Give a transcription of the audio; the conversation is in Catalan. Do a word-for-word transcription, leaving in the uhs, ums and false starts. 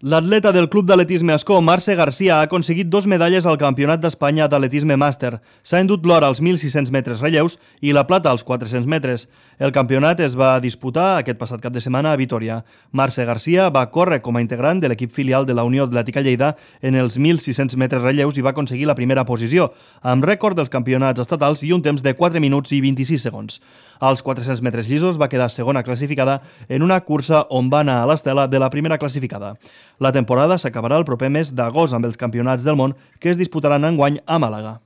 L'atleta del Club d'Atletisme Ascó, Marce Garcia, ha aconseguit dos medalles al Campionat d'Espanya d'Atletisme Màster. S'ha endut l'or als mil sis-cents metres relleus i la plata als quatre-cents metres. El campionat es va disputar aquest passat cap de setmana a Vitoria. Marce Garcia va córrer com a integrant de l'equip filial de la Unió Atlètica Lleida en els mil sis-cents metres relleus i va aconseguir la primera posició, amb rècord dels campionats estatals i un temps de quatre minuts i vint-i-sis segons. Als quatre-cents metres llisos va quedar segona classificada en una cursa on va anar a l'estela de la primera classificada. La temporada s'acabarà el proper mes d'agost amb els campionats del món que es disputaran enguany a Màlaga.